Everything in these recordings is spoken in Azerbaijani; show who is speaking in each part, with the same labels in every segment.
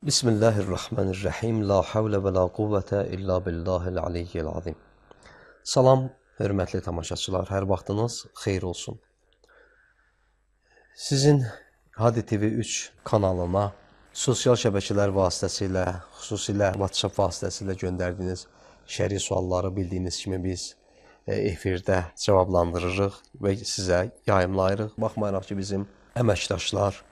Speaker 1: Bismillahirrahmanirrahim. La havlə və la quvvətə illa billahil aliyyil azim. Salam, hörmətli tamaşaçılar, hər vaxtınız xeyir olsun. Sizin Hadi TV3 kanalına sosial şəbəkələr vasitəsilə, xüsusilə WhatsApp vasitəsilə göndərdiyiniz şəri sualları bildiyiniz kimi biz efirdə cavablandırırıq və sizə yayımlayırıq. Baxmayaraq ki, bizim əməkdaşlar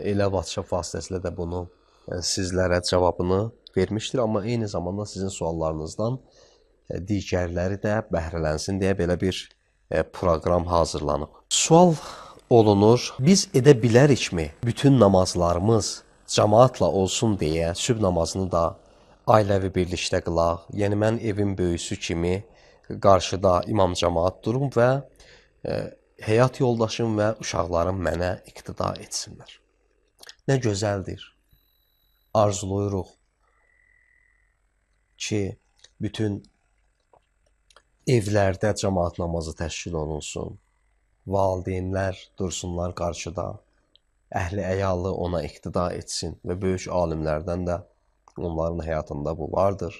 Speaker 1: elə WhatsApp vasitəsilə də bunu sizlərə cavabını vermişdir. Amma eyni zamanda sizin suallarınızdan digərləri də bəhrələnsin deyə belə bir proqram hazırlanıb. Sual olunur, biz edə bilərikmi bütün namazlarımız cəmaatla olsun deyə sübh namazını da ailəvi birlikdə qılaq. Yəni mən evin böyüsü kimi qarşıda imam cəmaat durum və həyat yoldaşım və uşaqlarım mənə iqtida etsinlər. Nə gözəldir. Arzulayırıq ki, bütün evlərdə cəmaat namazı təşkil olunsun, valideynlər dursunlar qarşıda, əhli əyalı ona iqtida etsin və böyük alimlərdən də onların həyatında bu vardır.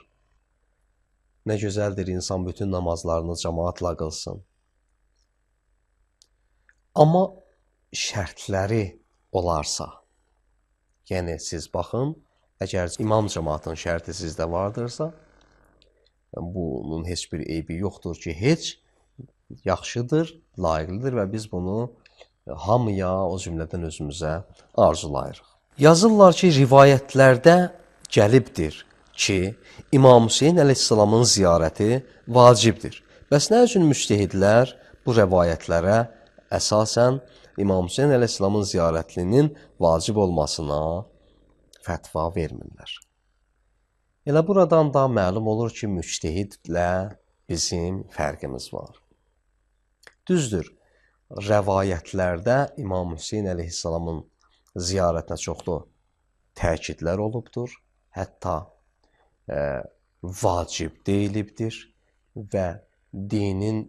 Speaker 1: Nə gözəldir insan bütün namazlarını cəmaatla qılsın. Amma şərtləri olarsa, yəni siz baxın, əgər imam cəmaatın şərti sizdə vardırsa, bunun heç bir eybi yoxdur ki, heç yaxşıdır, layiqlidir və biz bunu hamıya, o cümlədən özümüzə arzulayırıq. Yazırlar ki, rivayətlərdə gəlibdir ki, İmam Hüseyin əleyhissalamın ziyarəti vacibdir. Bəs nə üçün müctəhidlər bu rəvayətlərə əsasən İmam Hüseyin əleyhissalamın ziyarətinin vacib olmasına fətva vermirlər? Elə buradan da məlum olur ki, müctəhidlə bizim fərqimiz var. Düzdür, rəvayətlərdə İmam Hüseyin əleyhissalamın ziyarətinə çoxlu təkidlər olubdur, hətta vacib deyilibdir və dinin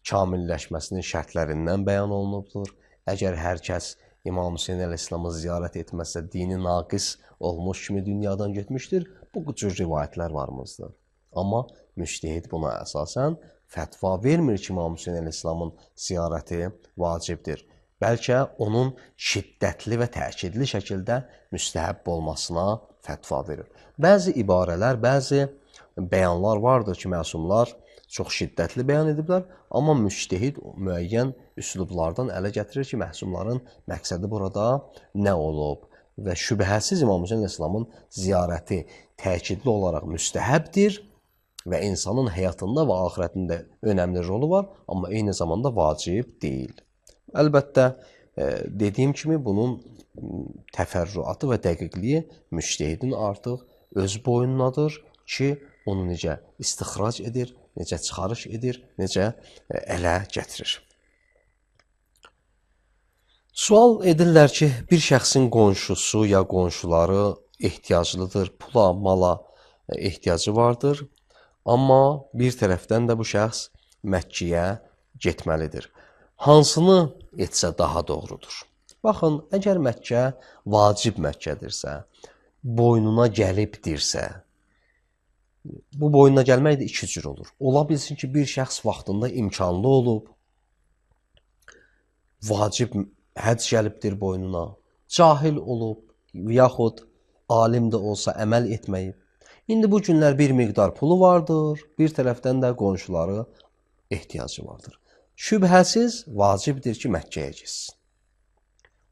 Speaker 1: kamilləşməsinin şərtlərindən bəyan olunubdur. Əgər hər kəs İmam Hüseyin əleyhissalamı ziyarət etməzsə, dini naqis olmuş kimi dünyadan getmişdir. Bu cür rivayətlər varmızdır. Amma müctəhid buna əsasən fətva vermir ki, İmam Hüseyin əleyhissalamın ziyarəti vacibdir. Bəlkə onun şiddətli və təkidli şəkildə müstəhəbb olmasına fətva verir. Bəzi ibarələr, bəzi bəyanlar vardır ki, məsumlar çox şiddətli bəyan ediblər, amma müctəhid müəyyən üslublardan ələ gətirir ki, məsumların məqsədi burada nə olub və şübhəsiz İmam Hüseyin əleyhissalamın ziyarəti təkidli olaraq müstəhəbdir və insanın həyatında və axirətində önəmli rolu var, amma eyni zamanda vacib deyil. Əlbəttə, dediyim kimi, bunun təfərrüatı və dəqiqliyi müctəhidin artıq öz boyundadır ki, onu necə istixrac edir, necə çıxarış edir, necə ələ gətirir. Sual edirlər ki, bir şəxsin qonşusu ya qonşuları ehtiyaclıdır, pula, mala ehtiyacı vardır, amma bir tərəfdən də bu şəxs Məkkəyə getməlidir. Hansını etsə daha doğrudur? Baxın, əgər Məkkə vacib Məkkədirsə, boynuna gəlibdirsə, bu boynuna gəlmək də iki cür olur. Ola bilsin ki, bir şəxs vaxtında imkanlı olub, vacib həcc gəlibdir boynuna, cahil olub, yaxud alim də olsa əməl etməyib. İndi bu günlər bir miqdar pulu vardır, bir tərəfdən də qonşuları ehtiyacı vardır. Şübhəsiz vacibdir ki, Məkkəyə getsin.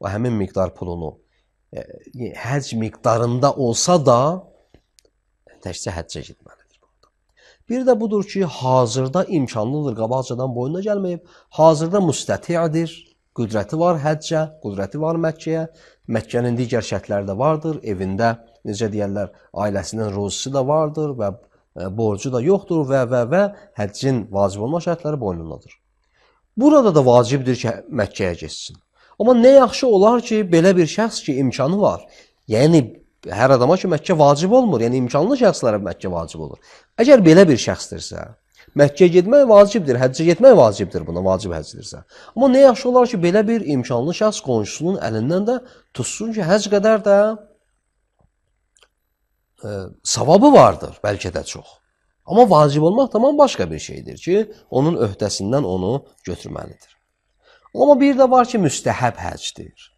Speaker 1: O həmin miqdar pulunu həcc miqdarında olsa da təkcə həccə getməlidir. Bir də budur ki, hazırda imkanlıdır, qabaqcadan boynuna gəlməyib, hazırda müstəti'dir, qüdrəti var həccə, qüdrəti var Məkkəyə, Məkkənin digər şərtləri də vardır, evində, necə deyərlər, ailəsinin ruzisi də vardır və borcu da yoxdur və həccin vacib olma şərtləri boynundadır. Burada da vacibdir ki, Məkkəyə getsin. Amma nə yaxşı olar ki, belə bir şəxs ki, imkanı var. Yəni, hər adama ki, Məkkə vacib olmur. Yəni, imkanlı şəxslərə Məkkə vacib olur. Əgər belə bir şəxsdirsə, Məkkəyə getmək vacibdir, həccə getmək vacibdir buna, vacib həccdirsə. Amma nə yaxşı olar ki, belə bir imkanlı şəxs qonşusunun əlindən də tutsun ki, həcc qədər də savabı vardır, bəlkə də çox. Amma vacib olmaq tamam başqa bir şeydir ki, onun öhdəsindən onu götürməlidir. Amma bir də var ki, müstəhəb həcdir.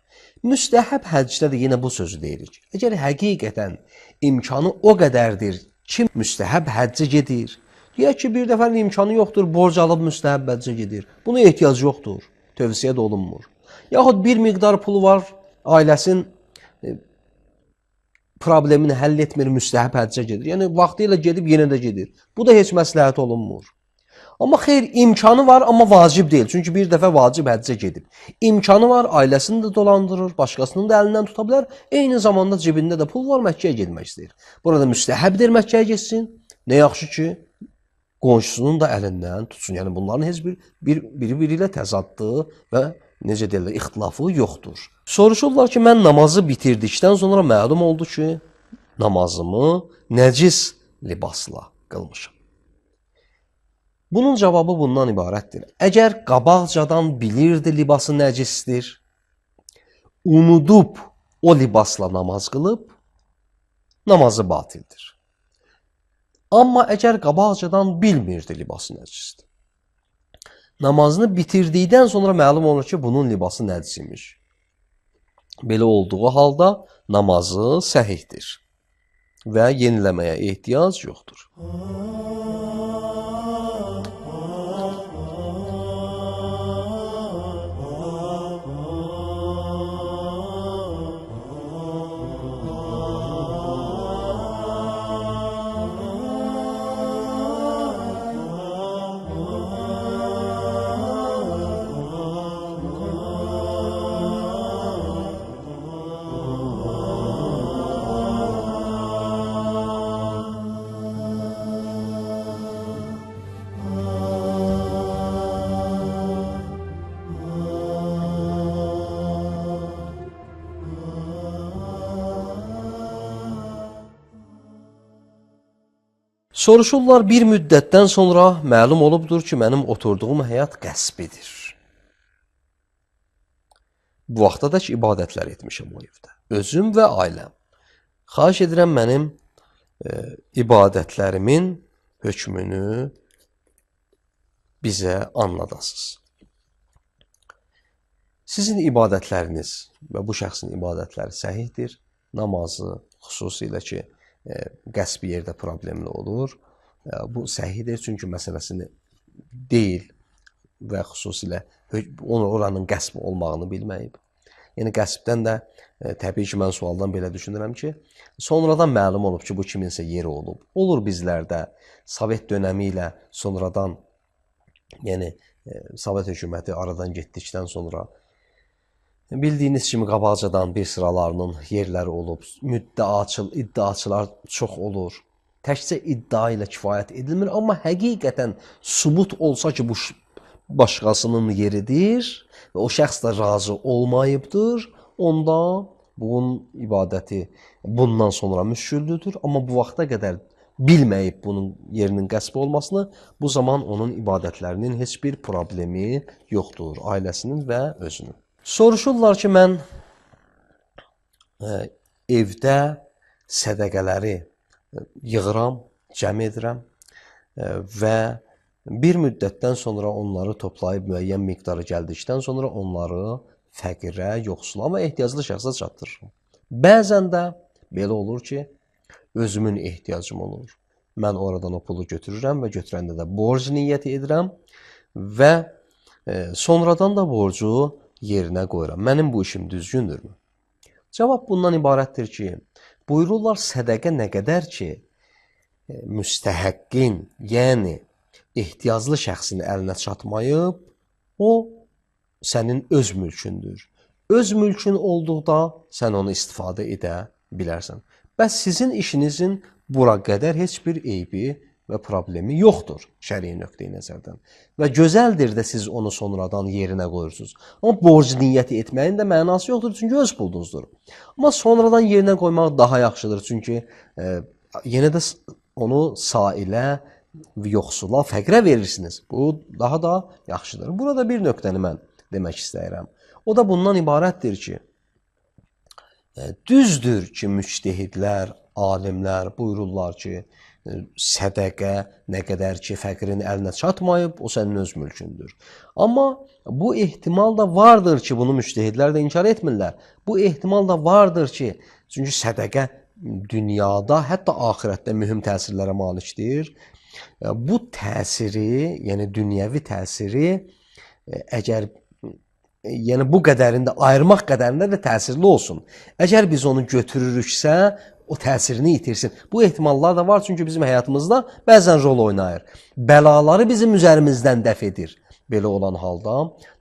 Speaker 1: Müstəhəb həcdə də yenə bu sözü deyirik. Əgər həqiqətən imkanı o qədərdir ki, müstəhəb həccə gedir. Deyək ki, bir dəfənin imkanı yoxdur, borc alıb müstəhəb həccə gedir. Buna ehtiyac yoxdur, tövsiyə də olunmur. Yaxud bir miqdar pulu var, ailəsin problemini həll etmir, müstəhəb həccə gedir. Yəni, vaxtı ilə gedib, yenə də gedir. Bu da heç məsləhət olunmur. Amma xeyr, imkanı var, amma vacib deyil. Çünki bir dəfə vacib həccə gedib. İmkanı var, ailəsini də dolandırır, başqasının da əlindən tuta bilər. Eyni zamanda cibində də pul var, Məkkəyə getmək istəyir. Burada müstəhəbdir Məkkəyə getsin. Nə yaxşı ki, qonşusunun da əlindən tutsun. Yəni, bunların heç biri-biri ilə təzadlı və necə deyirlər, ixtilafı yoxdur. Soruşurlar ki, mən namazı bitirdikdən sonra məlum oldu ki, namazımı nəcis libasla qılmışam. Bunun cavabı bundan ibarətdir. Əgər qabaqcadan bilirdi libası nəcisdir, unudub o libasla namaz qılıb, namazı batildir. Amma əgər qabaqcadan bilmirdi libası nəcisdir, namazını bitirdikdən sonra məlum olur ki, bunun libası nəcis imiş. Belə olduğu halda namazı səhihdir və yeniləməyə ehtiyac yoxdur. Soruşurlar, bir müddətdən sonra məlum olubdur ki, mənim oturduğum həyat qəsbidir. Bu vaxta da ki, ibadətlər etmişəm o evdə. Özüm və ailəm. Xahiş edirəm, mənim ibadətlərimin hökmünü bizə anladasınız. Sizin ibadətləriniz və bu şəxsin ibadətləri səhihdir. Namazı, xüsusilə ki, qəsbi yerdə problemli olur. Bu səhidir, çünki məsələsini deyil və xüsusilə oranın qəsb olmağını bilməyib. Yəni, qəsbdən də təbii ki, mən sualdan belə düşünürəm ki, sonradan məlum olub ki, bu kiminsə yeri olub. Olur bizlərdə Sovet dönəmi ilə sonradan, yəni Sovet hökuməti aradan getdikdən sonra bildiyiniz kimi qabaqcadan bir sıralarının yerləri olub, iddiaçılar çox olur. Təkcə iddia ilə kifayət edilmir, amma həqiqətən sübut olsa ki, bu başqasının yeridir və o şəxs də razı olmayıbdır, onda bunun ibadəti bundan sonra müşküldür. Amma bu vaxta qədər bilməyib bunun yerinin qəsb olmasını, bu zaman onun ibadətlərinin heç bir problemi yoxdur, ailəsinin və özünün. Soruşurlar ki, mən evdə sədəqələri yığıram, cəm edirəm və bir müddətdən sonra onları toplayıb müəyyən miqdarı gəldikdən sonra onları fəqirə, yoxsula və ehtiyaclı şəxsə çatdırıram. Bəzən də belə olur ki, özümün ehtiyacım olur. Mən oradan o pulu götürürəm və götürəndə də borc niyyəti edirəm və sonradan da borcu yerinə qoyuram. Mənim bu işim düzgündürmü? Cavab bundan ibarətdir ki, buyururlar sədəqə nə qədər ki, müstəhəqqin, yəni ehtiyaclı şəxsin əlinə çatmayıb, o sənin öz mülkündür. Öz mülkün olduqda sən onu istifadə edə bilərsən. Bəs sizin işinizin bura qədər heç bir eybi və problemi yoxdur şərii nöqteyi nəzərdən. Və gözəldir də siz onu sonradan yerinə qoyursunuz. Amma borc niyyəti etməyin də mənası yoxdur, çünki öz pulunuzdur. Amma sonradan yerinə qoymaq daha yaxşıdır, çünki yenə də onu sailə, yoxsula, fəqrə verirsiniz. Bu daha da yaxşıdır. Burada bir nöqtəni mən demək istəyirəm. O da bundan ibarətdir ki, düzdür ki, müctehidlər, alimlər buyururlar ki, sədəqə nə qədər ki, fəqirin əlinə çatmayıb, o sənin öz mülkündür. Amma bu ehtimal da vardır ki, bunu müştəhidlər də inkar etmirlər. Bu ehtimal da vardır ki, çünki sədəqə dünyada, hətta axirətdə mühüm təsirlərə malikdir. Bu təsiri, yəni dünyəvi təsiri, əgər yəni bu qədərində, ayırmaq qədərində də təsirli olsun. Əgər biz onu götürürüksə, o təsirini itirsin. Bu ehtimallar da var, çünki bizim həyatımızda bəzən rol oynayır. Bəlaları bizim üzərimizdən dəf edir. Belə olan halda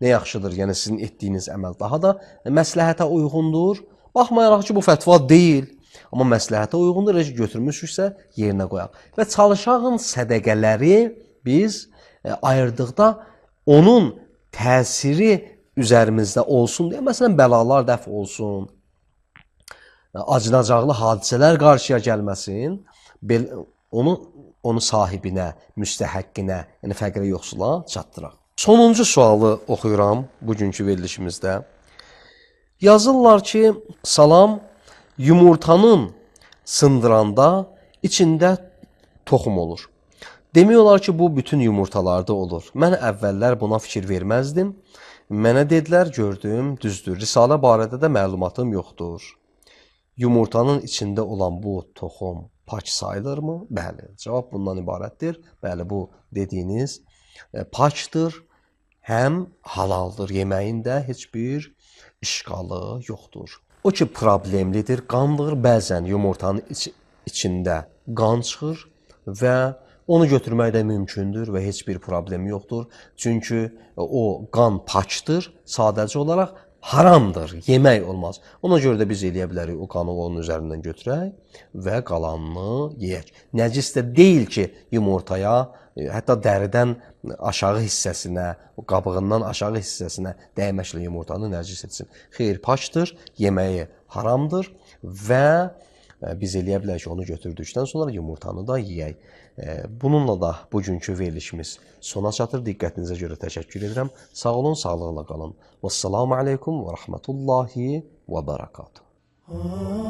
Speaker 1: nə yaxşıdır, yəni sizin etdiyiniz əməl daha da məsləhətə uyğundur. Baxmayaraq ki, bu fətva deyil, amma məsləhətə uyğundur, götürmüşüksə yerinə qoyaq. Və çalışağın sədəqələri biz ayırdıqda onun təsiri üzərimizdə olsun deyə, məsələn, bəlalar dəf olsun, acınacaqlı hadisələr qarşıya gəlməsin, onu sahibinə, müstəhəqqinə, yəni fəqirə yoxsula çatdıraq. Sonuncu sualı oxuyuram bugünkü verilişimizdə. Yazırlar ki, salam, yumurtanın sındıranda içində toxum olur. Demək olar ki, bu bütün yumurtalarda olur. Mən əvvəllər buna fikir verməzdim. Mənə dedilər, gördüm, düzdür. Risalə barədə də məlumatım yoxdur. Yumurtanın içində olan bu toxum pak sayılırmı? Bəli, cavab bundan ibarətdir. Bəli, bu dediyiniz pakdır, həm halaldır. Yeməyində heç bir işqalı yoxdur. O ki, problemlidir, qandır. Bəzən yumurtanın içində qan çıxır və onu götürmək də mümkündür və heç bir problemi yoxdur. Çünki o qan pakdır, sadəcə olaraq haramdır, yemək olmaz. Ona görə də biz eləyə bilərik, o qanı onun üzərindən götürək və qalanını yeyək. Nəcis də deyil ki, yumurtaya, hətta dəridən aşağı hissəsinə, qabığından aşağı hissəsinə dəyməklə yumurtanı nəcis etsin. Xeyr, pakdır, yeməyi haramdır və biz eləyə bilərik ki, onu götürdükdən sonra yumurtanı da yeyək. Bununla da bugünkü verilişimiz sona çatır. Diqqətinizə görə təşəkkür edirəm. Sağ olun, sağlıqla qalın. Vəssalamu aleykum və rəhmətullahi və bərəkatuhu.